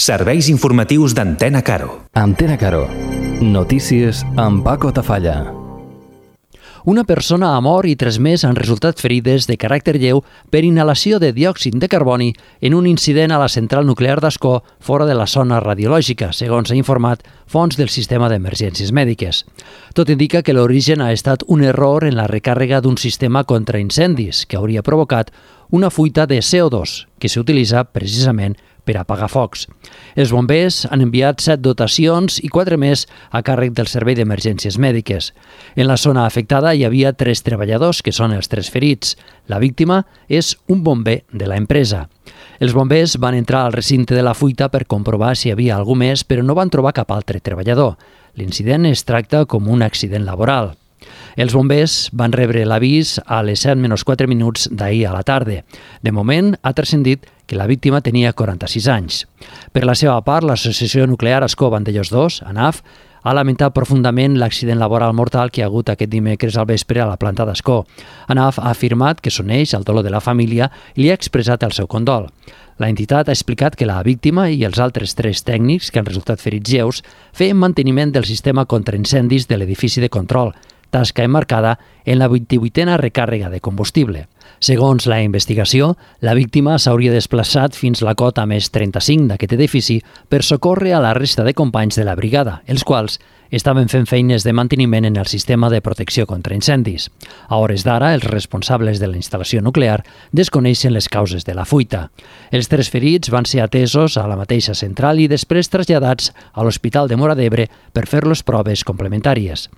Serveis informatius d'Antena Caro. Antena Caro. Notícies amb Paco Tafalla. Una persona ha mort i 3 més han resultat ferides de caràcter lleu per inhalació de diòxid de carboni en un incident a la central nuclear d'Ascó fora de la zona radiològica, segons ha informat fonts del sistema d'emergències mèdiques. Tot indica que l'origen ha estat un error en la recàrrega d'un sistema contra incendis que hauria provocat una fuita de CO2 que s'utilitza precisament per apagar focs. Els bombers han enviat 7 dotacions i 4 més a càrrec del Servei d'Emergències Mèdiques. En la zona afectada hi havia 3 treballadors, que són els 3 ferits. La víctima és un bomber de l'empresa. Els bombers van entrar al recinte de la fuita per comprovar si hi havia algú més, però no van trobar cap altre treballador. L'incident es tracta com un accident laboral. Els bombers van rebre l'avís a les 7:04 d'ahir a la tarda. De moment, ha transcendit que la víctima tenia 46 anys. Per la seva part, l'Associació Nuclear Ascó Vandellòs 2, ANAF, ha lamentat profundament l'accident laboral mortal que hi ha hagut aquest dimecres al vespre a la planta d'Ascó. ANAF ha afirmat que s'uneix al dolor de la família i li ha expressat el seu condol. La entitat ha explicat que la víctima i els altres 3 tècnics que han resultat ferits lleus feien manteniment del sistema contra incendis de l'edifici de control, tasca emmarcada en la 28a recàrrega de combustible. Segons la investigació, la víctima s'hauria desplaçat fins la cota més 35 d'aquest edifici per socórrer a la resta de companys de la brigada, els quals estaven fent feines de manteniment en el sistema de protecció contra incendis. A hores d'ara, els responsables de la instal·lació nuclear desconeixen les causes de la fuita. Els 3 ferits van ser atesos a la mateixa central i després traslladats a l'Hospital de Móra d'Ebre per fer-los proves complementàries.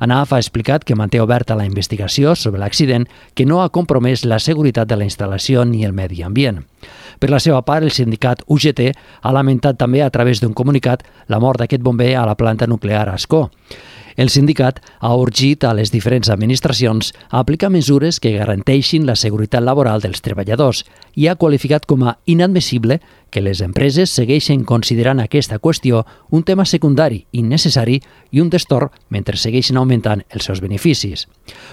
ANAF ha explicat que manté oberta la investigació sobre l'accident que no ha compromès la seguretat de la instal·lació ni el medi ambient. Per la seva part, el sindicat UGT ha lamentat també a través d'un comunicat la mort d'aquest bomber a la planta nuclear a Ascó. El sindicat ha urgit a les diferents administracions a aplicar mesures que garanteixin la seguretat laboral dels treballadors i ha qualificat com a inadmissible que les empreses segueixen considerant aquesta qüestió un tema secundari, innecessari i un destorb mentre segueixen augmentant els seus beneficis.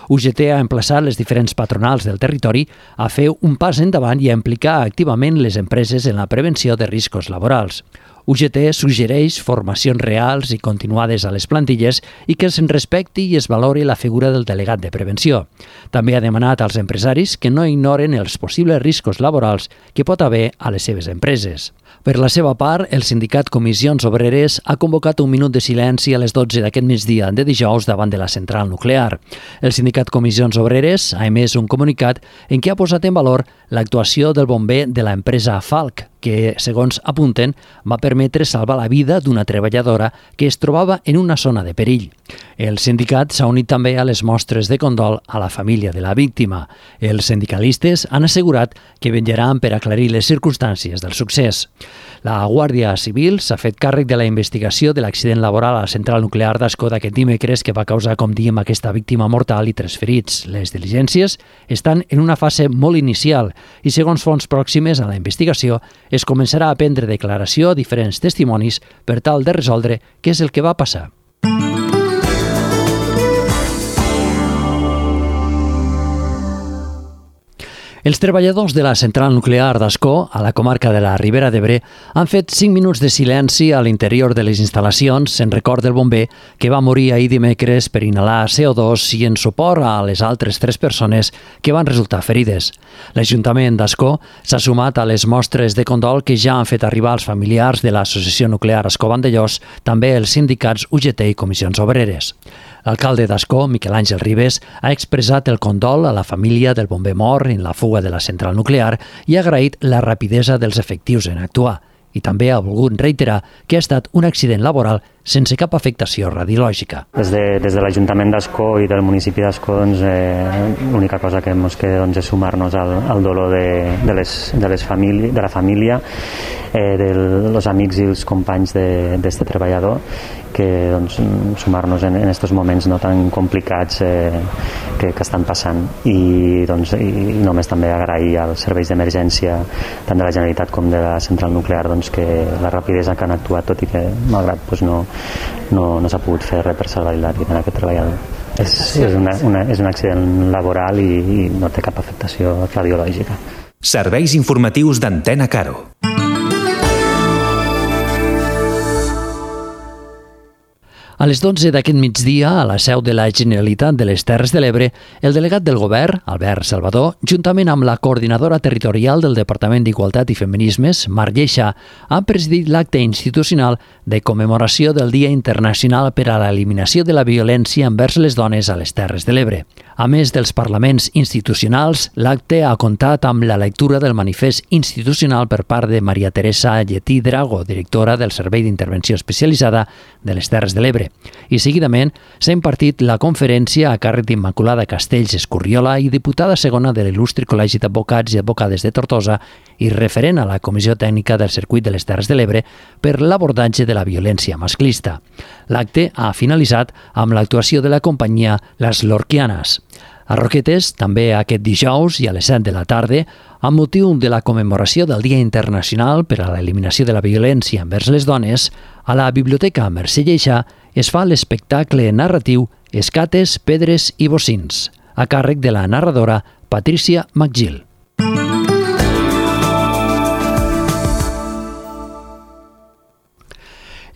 UGT ha emplaçat les diferents patronals del territori a fer un pas endavant i a implicar activament les empreses en la prevenció de riscos laborals. UGT suggereix formacions reals i continuades a les plantilles i que se'n respecti i es valori la figura del delegat de prevenció. També ha demanat als empresaris que no ignoren els possibles riscos laborals que pot haver a les seves empreses. Per la seva part, el sindicat Comissions Obreres ha convocat un minut de silenci a les 12 d'aquest migdia de dijous davant de la central nuclear. El sindicat Comissions Obreres ha emès un comunicat en què ha posat en valor l'actuació del bomber de l'empresa Falc, que, segons apunten, va permetre salvar la vida d'una treballadora que es trobava en una zona de perill. El sindicat s'ha unit també a les mostres de condol a la família de la víctima. Els sindicalistes han assegurat que vetllaran per aclarir les circumstàncies del succés. La Guàrdia Civil s'ha fet càrrec de la investigació de l'accident laboral a la central nuclear d'Ascó d'aquest dimecres que va causar, com diem, aquesta víctima mortal i 3 ferits. Les diligències estan en una fase molt inicial i, segons fonts pròximes a la investigació, es començarà a prendre declaració a diferents testimonis per tal de resoldre què és el que va passar. Els treballadors de la central nuclear d'Ascó, a la comarca de la Ribera d'Ebre, han fet 5 minuts de silenci a l'interior de les instal·lacions en record del bomber que va morir ahir dimecres per inhalar CO2 i en suport a les altres 3 persones que van resultar ferides. L'Ajuntament d'Ascó s'ha sumat a les mostres de condol que ja han fet arribar als familiars de l'Associació Nuclear Ascó Vandellòs, també els sindicats UGT i Comissions Obreres. L'alcalde d'Ascó, Miquel Àngel Ribes, ha expressat el condol a la família del bomber mort en la fuga de la central nuclear i ha agraït la rapidesa dels efectius en actuar. I també ha volgut reiterar que ha estat un accident laboral sense cap afectació radiològica. Des de l'Ajuntament d'Ascó i del municipi d'Ascó, l'única cosa que ens queda és sumar-nos al dolor de la família, dels amics i els companys d'aquest treballador, que sumar-nos en aquests moments no tan complicats que estan passant. I només també agrair als serveis d'emergència tant de la Generalitat com de la central nuclear que la rapidesa que han actuat, tot i que malgrat no s'ha pogut fer res per salvar la vida d'aquest treballador. És un accident laboral i no té cap afectació radiològica. Serveis informatius d'Antena Caro. A les 12 d'aquest migdia, a la seu de la Generalitat de les Terres de l'Ebre, el delegat del govern, Albert Salvador, juntament amb la coordinadora territorial del Departament d'Igualtat i Feminismes, Mar Lleixa, han presidit l'acte institucional de commemoració del Dia Internacional per a l'Eliminació de la Violència envers les dones a les Terres de l'Ebre. A més dels parlaments institucionals, l'acte ha comptat amb la lectura del manifest institucional per part de Maria Teresa Lletí Drago, directora del Servei d'Intervenció Especialitzada de les Terres de l'Ebre. I seguidament s'ha impartit la conferència a càrrec d'Immaculada Castells Escurriola i diputada segona de l'il·lustre Col·legi d'Advocats i Advocades de Tortosa i referent a la Comissió Tècnica del Circuit de les Terres de l'Ebre per l'abordatge de la violència masclista. L'acte ha finalitzat amb l'actuació de la companyia Les Lorquianes. A Roquetes, també aquest dijous i a les 7 de la tarda, amb motiu de la commemoració del Dia Internacional per a l'Eliminació de la Violència envers les dones, a la Biblioteca Mercè Lleixa es fa l'espectacle narratiu Escates, Pedres i Bocins, a càrrec de la narradora Patricia McGill.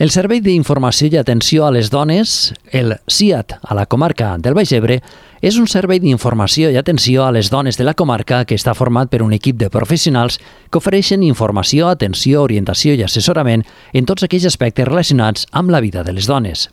El Servei d'Informació i Atenció a les Dones, el SIAT a la comarca del Baix Ebre, és un servei d'informació i atenció a les dones de la comarca que està format per un equip de professionals que ofereixen informació, atenció, orientació i assessorament en tots aquells aspectes relacionats amb la vida de les dones.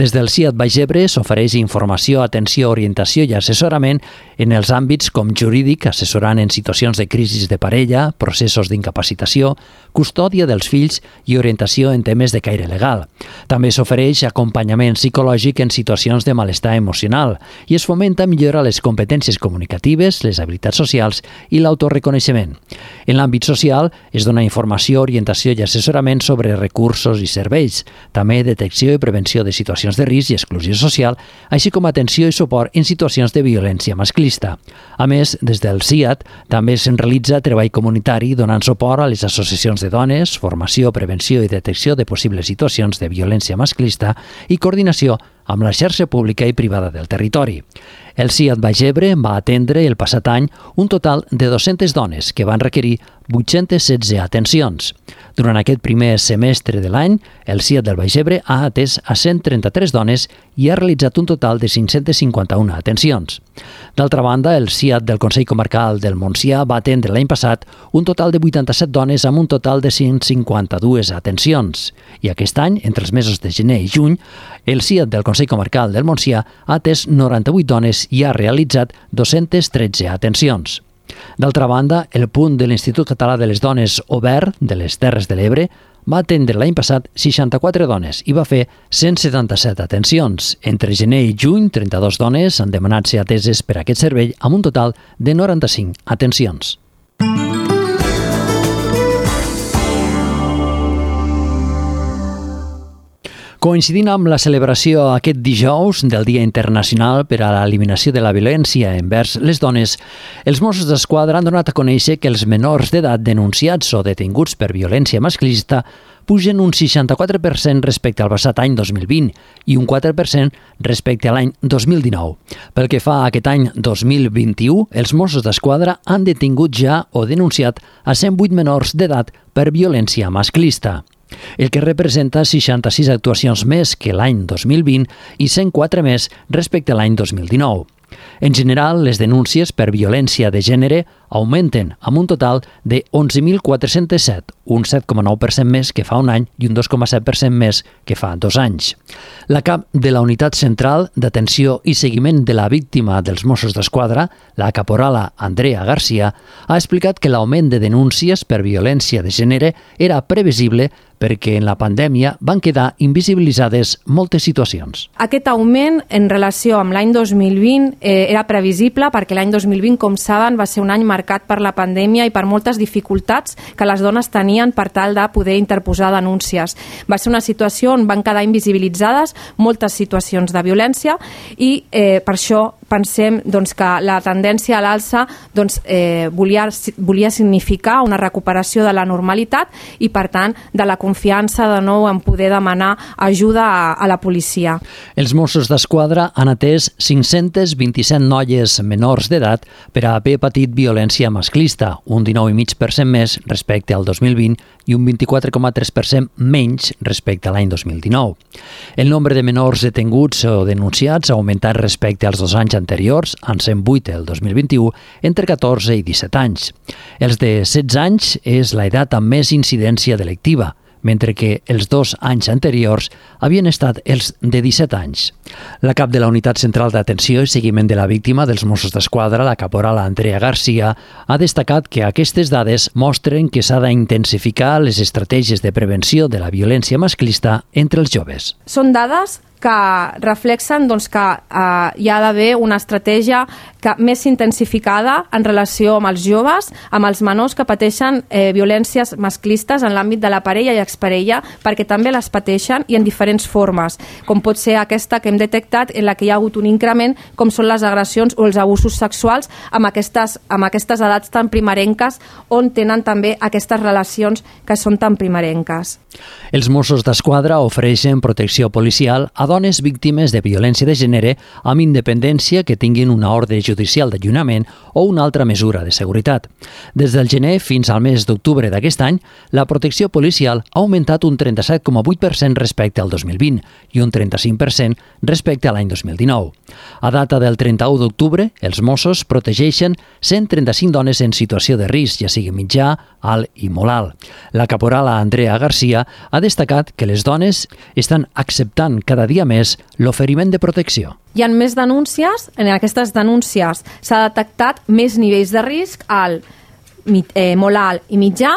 Des del SIAT Baix Ebre s'ofereix informació, atenció, orientació i assessorament en els àmbits com jurídic, assessorant en situacions de crisi de parella, processos d'incapacitació, custòdia dels fills i orientació en temes de caire legal. També s'ofereix acompanyament psicològic en situacions de malestar emocional i es fomenta millorar les competències comunicatives, les habilitats socials i l'autoreconeixement. En l'àmbit social es dona informació, orientació i assessorament sobre recursos i serveis, també detecció i prevenció de situacions de risc i exclusió social, així com atenció i suport en situacions de violència masclista. A més, des del SIAT també se'n realitza treball comunitari donant suport a les associacions de dones, formació, prevenció i detecció de possibles situacions de violència masclista i coordinació amb la xarxa pública i privada del territori. El SIAT Baix Ebre va atendre el passat any un total de 200 dones que van requerir 816 atencions. Durant aquest primer semestre de l'any, el SIAT del Baix Ebre ha atès a 133 dones i ha realitzat un total de 551 atencions. D'altra banda, el SIAT del Consell Comarcal del Montsià va atendre l'any passat un total de 87 dones amb un total de 152 atencions. I aquest any, entre els mesos de gener i juny, el SIAT del Consell Comarcal del Montsià ha atès 98 dones i ha realitzat 213 atencions. D'altra banda, el punt de l'Institut Català de les Dones Obert de les Terres de l'Ebre va atendre l'any passat 64 dones i va fer 177 atencions. Entre gener i juny, 32 dones han demanat ser ateses per aquest servei amb un total de 95 atencions. Coincidint amb la celebració aquest dijous del Dia Internacional per a l'Eliminació de la Violència envers les dones, els Mossos d'Esquadra han donat a conèixer que els menors d'edat denunciats o detinguts per violència masclista pugen un 64% respecte al passat any 2020 i un 4% respecte a l'any 2019. Pel que fa a aquest any 2021, els Mossos d'Esquadra han detingut ja o denunciat a 108 menors d'edat per violència masclista, el que representa 66 actuacions més que l'any 2020 i 104 més respecte a l'any 2019. En general, les denúncies per violència de gènere augmenten amb un total de 11.407, un 7,9% més que fa un any i un 2,7% més que fa 2 anys. La cap de la Unitat Central d'Atenció i Seguiment de la Víctima dels Mossos d'Esquadra, la caporala Andrea Garcia, ha explicat que l'augment de denúncies per violència de gènere era previsible perquè en la pandèmia van quedar invisibilitzades moltes situacions. Aquest augment en relació amb l'any 2020 era previsible perquè l'any 2020, com saben, va ser un any marcat per la pandèmia i per moltes dificultats que les dones tenien per tal de poder interposar denúncies. Va ser una situació on van quedar invisibilitzades moltes situacions de violència i per això pensem que la tendència a l'alça volia significar una recuperació de la normalitat i, per tant, de la confiança de nou en poder demanar ajuda a la policia. Els Mossos d'Esquadra han atès 527 noies menors d'edat per haver patit violència masclista, un 19,5% més respecte al 2020 i un 24,3% menys respecte a l'any 2019. El nombre de menors detenguts o denunciats ha augmentat respecte als 2 anys anteriors, en 108 el 2021, entre 14 i 17 anys. Els de 16 anys és l'edat amb més incidència delictiva, mentre que els 2 anys anteriors havien estat els de 17 anys. La cap de la Unitat Central d'Atenció i Seguiment de la Víctima dels Mossos d'Esquadra, la caporal Andrea Garcia, ha destacat que aquestes dades mostren que s'ha d'intensificar les estratègies de prevenció de la violència masclista entre els joves. Són dades que reflexen que hi ha d'haver una estratègia més intensificada en relació amb els joves, amb els menors que pateixen violències masclistes en l'àmbit de la parella i exparella, perquè també les pateixen i en diferents formes, com pot ser aquesta que hem detectat en la que hi ha hagut un increment, com són les agressions o els abusos sexuals amb aquestes edats tan primerenques, on tenen també aquestes relacions que són tan primerenques. Els Mossos d'Esquadra ofereixen protecció policial a dones víctimes de violència de gènere amb independència que tinguin una ordre judicial d'allunyament o una altra mesura de seguretat. Des del gener fins al mes d'octubre d'aquest any, la protecció policial ha augmentat un 37,8% respecte al 2020 i un 35% respecte a l'any 2019. A data del 31 d'octubre, els Mossos protegeixen 135 dones en situació de risc, ja sigui mitjà, alt i molt alt. La caporal Andrea Garcia ha destacat que les dones estan acceptant cada dia més l'oferiment de protecció. Hi ha més denúncies, en aquestes denúncies s'ha detectat més nivells de risc, alt, molt alt i mitjà,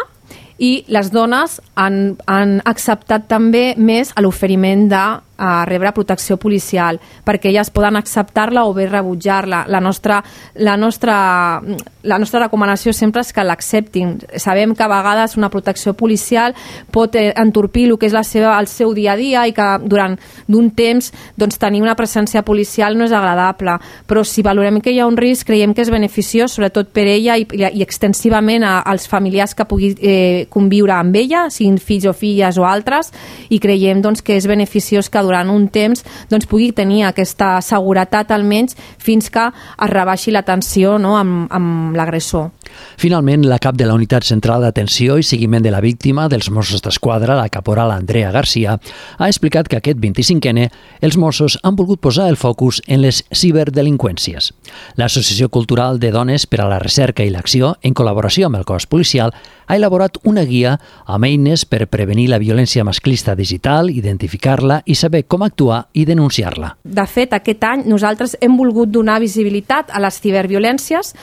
i les dones han acceptat també més l'oferiment de rebre protecció policial, perquè elles poden acceptar-la o bé rebutjar-la. La nostra recomanació sempre és que l'acceptin. Sabem que a vegades una protecció policial pot entorpir el que és el seu dia a dia i que durant d'un temps tenir una presència policial no és agradable, però si valorem que hi ha un risc, creiem que és beneficiós, sobretot per ella i extensivament als familiars que pugui conviure amb ella, siguin fills o filles o altres, i creiem que és beneficiós que durant un temps pugui tenir aquesta seguretat almenys fins que es rebaixi la tensió amb l'agressor. Finalment, la cap de la Unitat Central d'Atenció i Seguiment de la Víctima dels Mossos d'Esquadra, la caporal Andrea Garcia, ha explicat que aquest 25N els Mossos han volgut posar el focus en les ciberdelinqüències. L'Associació Cultural de Dones per a la Recerca i l'Acció, en col·laboració amb el cos policial, ha elaborat una guia amb eines per prevenir la violència masclista digital, identificar-la i saber com actuar i denunciar-la. De fet, aquest any nosaltres hem volgut donar visibilitat a les ciberviolències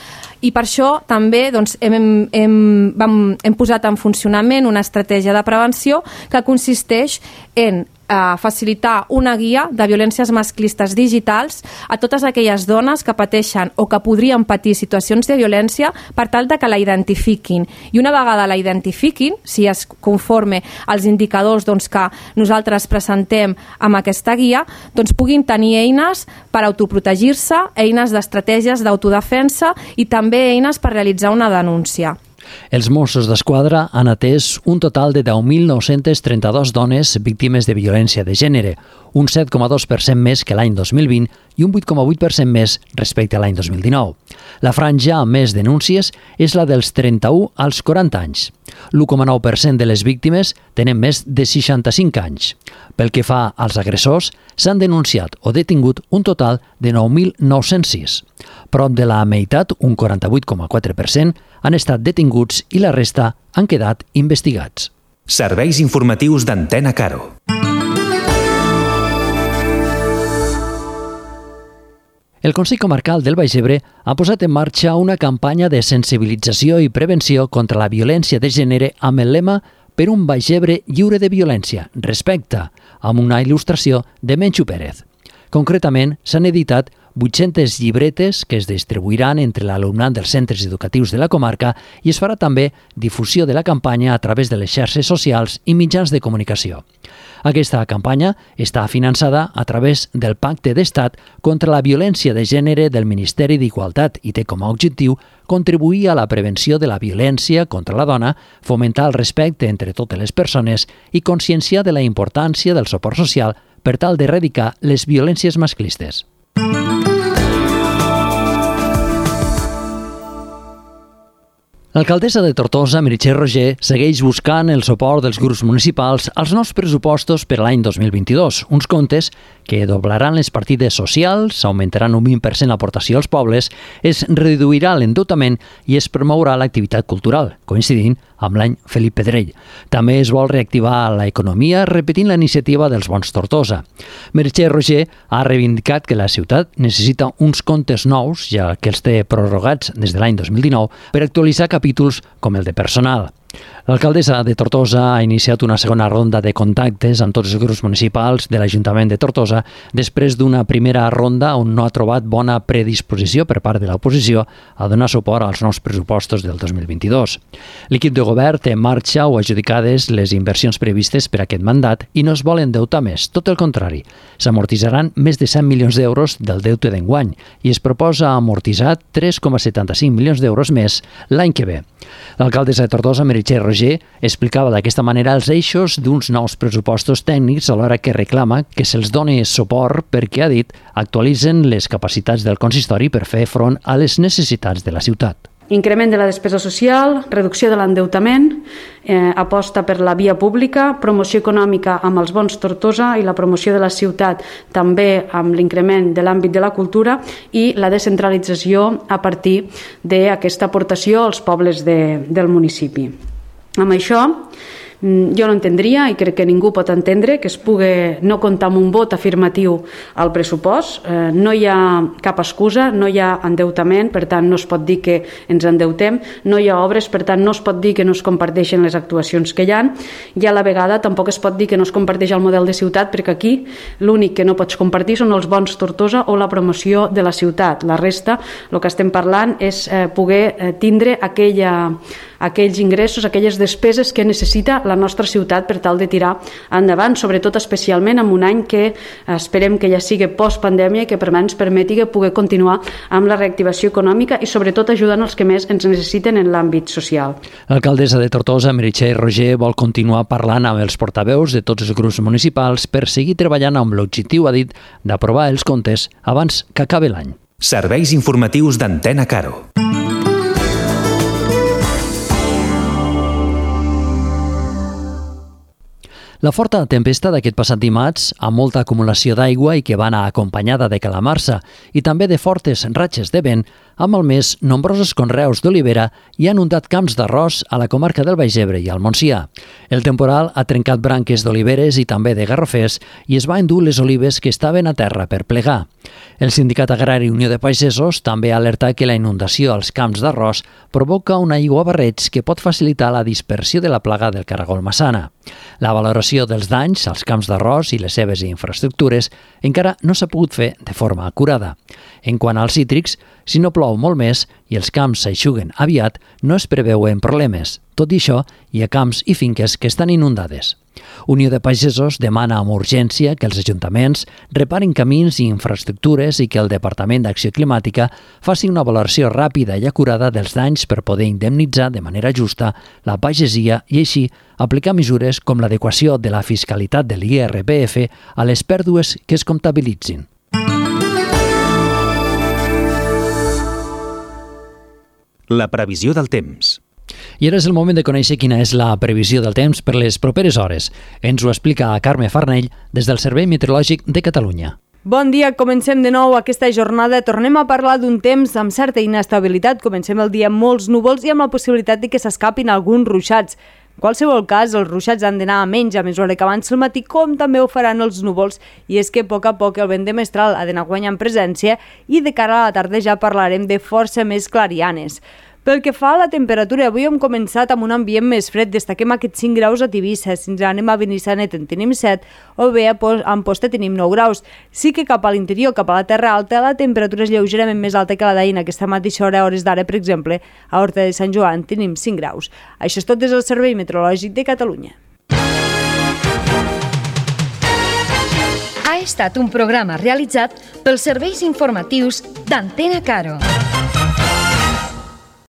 i per això també hem posat en funcionament una estratègia de prevenció que consisteix en facilitar una guia de violències masclistes digitals a totes aquelles dones que pateixen o que podrien patir situacions de violència per tal de que la identifiquin. I una vegada la identifiquin, si es conforme als indicadors que nosaltres presentem amb aquesta guia, puguin tenir eines per autoprotegir-se, eines d'estratègies d'autodefensa i també eines per realitzar una denúncia. Els Mossos d'Esquadra han atès un total de 10.932 dones víctimes de violència de gènere, un 7,2% més que l'any 2020 i un 8,8% més respecte a l'any 2019. La franja amb més denúncies és la dels 31 als 40 anys. L'1,9% de les víctimes tenen més de 65 anys. Pel que fa als agressors, s'han denunciat o detingut un total de 9.906. Prop de la meitat, un 48,4%, han estat detinguts i la resta han quedat investigats. Serveis informatius d'Antena Caro. El Consell Comarcal del Baix Ebre ha posat en marxa una campanya de sensibilització i prevenció contra la violència de gènere amb el lema «Per un Baix Ebre lliure de violència, respecte», amb una il·lustració de Menxo Pérez. Concretament, s'han editat 800 llibretes que es distribuiran entre l'alumnat dels centres educatius de la comarca i es farà també difusió de la campanya a través de les xarxes socials i mitjans de comunicació. Aquesta campanya està finançada a través del Pacte d'Estat contra la violència de gènere del Ministeri d'Igualtat i té com a objectiu contribuir a la prevenció de la violència contra la dona, fomentar el respecte entre totes les persones i conscienciar de la importància del suport social per tal d'erradicar les violències masclistes. L'alcaldessa de Tortosa, Meritxell Roger, segueix buscant el suport dels grups municipals als nous pressupostos per a l'any 2022, uns comptes que doblaran les partides socials, augmentaran un 20% l'aportació als pobles, es reduirà l'endeutament i es promourà l'activitat cultural, coincidint amb l'any Felip Pedrell. També es vol reactivar l'economia repetint la iniciativa dels Bons Tortosa. Meritxell Roger ha reivindicat que la ciutat necessita uns comptes nous, ja que els té prorrogats des de l'any 2019, per actualitzar capítols com el de personal. L'alcaldessa de Tortosa ha iniciat una segona ronda de contactes amb tots els grups municipals de l'Ajuntament de Tortosa després d'una primera ronda on no ha trobat bona predisposició per part de l'oposició a donar suport als nous pressupostos del 2022. L'equip de govern té en marxa o adjudicades les inversions previstes per aquest mandat i no es vol endeutar més, tot el contrari. S'amortitzaran més de 100 milions d'euros del deute d'enguany i es proposa amortitzar 3,75 milions d'euros més l'any que ve. L'alcaldessa de Tortosa, Meritxell Roger, explicava d'aquesta manera els eixos d'uns nous pressupostos tècnics alhora que reclama que se'ls doni suport perquè, ha dit, actualitzen les capacitats del consistori per fer front a les necessitats de la ciutat. Increment de la despesa social, reducció de l'endeutament, aposta per la via pública, promoció econòmica amb els Bons Tortosa i la promoció de la ciutat també amb l'increment de l'àmbit de la cultura i la descentralització a partir d'aquesta aportació als pobles del municipi. Amb això, jo no entendria, i crec que ningú pot entendre, que es pugui no comptar amb un vot afirmatiu al pressupost. No hi ha cap excusa, no hi ha endeutament, per tant no es pot dir que ens endeutem, no hi ha obres, per tant no es pot dir que no es comparteixen les actuacions que hi ha, i a la vegada tampoc es pot dir que no es comparteix el model de ciutat, perquè aquí l'únic que no pots compartir són els Bons Tortosa o la promoció de la ciutat. La resta, el que estem parlant és poder tindre aquells ingressos, aquelles despeses que necessita la nostra ciutat per tal de tirar endavant, sobretot especialment en un any que esperem que ja sigui post-pandèmia i que ens permeti poder continuar amb la reactivació econòmica i sobretot ajudant els que més ens necessiten en l'àmbit social. L'alcaldessa de Tortosa, Meritxell Roger, vol continuar parlant amb els portaveus de tots els grups municipals per seguir treballant amb l'objectiu, ha dit, d'aprovar els comptes abans que acabi l'any. Serveis informatius d'Antena Caro. La forta tempesta d'aquest passat dimarts, amb molta acumulació d'aigua i que va anar acompanyada de calamarsa i també de fortes ratxes de vent, ha malmès nombrosos conreus d'olivera i ha inundat camps d'arròs a la comarca del Baix Ebre i al Montsià. El temporal ha trencat branques d'oliveres i també de garrofers i es va endur les olives que estaven a terra per plegar. El Sindicat Agrari Unió de Pagesos també ha alertat que la inundació als camps d'arròs provoca un aiguabarreig que pot facilitar la dispersió de la plaga del caragol massana. La valoració dels danys als camps d'arròs i les seves infraestructures encara no s'ha pogut fer de forma acurada. En quant als cítrics, si no plou molt més i els camps s'eixuguen aviat, no es preveuen problemes. Tot i això, hi ha camps i finques que estan inundades. Unió de Pagesos demana amb urgència que els ajuntaments reparin camins i infraestructures i que el Departament d'Acció Climàtica faci una valoració ràpida i acurada dels danys per poder indemnitzar de manera justa la pagesia i així aplicar mesures com l'adequació de la fiscalitat de l'IRPF a les pèrdues que es comptabilitzin. La previsió del temps. I ara és el moment de conèixer quina és la previsió del temps per les properes hores. Ens ho explica Carme Farnell des del Servei Meteorològic de Catalunya. Bon dia, comencem de nou aquesta jornada. Tornem a parlar d'un temps amb certa inestabilitat. Comencem el dia amb molts núvols i amb la possibilitat de que s'escapin alguns ruixats. En qualsevol cas, els ruixats han d'anar a menys a mesura que avanci el matí, com també ho faran els núvols, i és que a poc el vent de mestral ha d'anar guanyant presència i de cara a la tarda ja parlarem de força més clarianes. Pel que fa a la temperatura, avui hem començat amb un ambient més fred. Destaquem aquests 5 graus a Tivissa. Si ens anem a Benissanet en tenim 7 o bé a Amposta tenim 9 graus. Sí que cap a l'interior, cap a la Terra Alta, la temperatura és lleugerament més alta que la d'ahir. Aquesta mateixa hora, a hores d'ara, per exemple, a Horta de Sant Joan tenim 5 graus. Això és tot des del Servei Meteorològic de Catalunya. Ha estat un programa realitzat pels serveis informatius d'Antena Caro.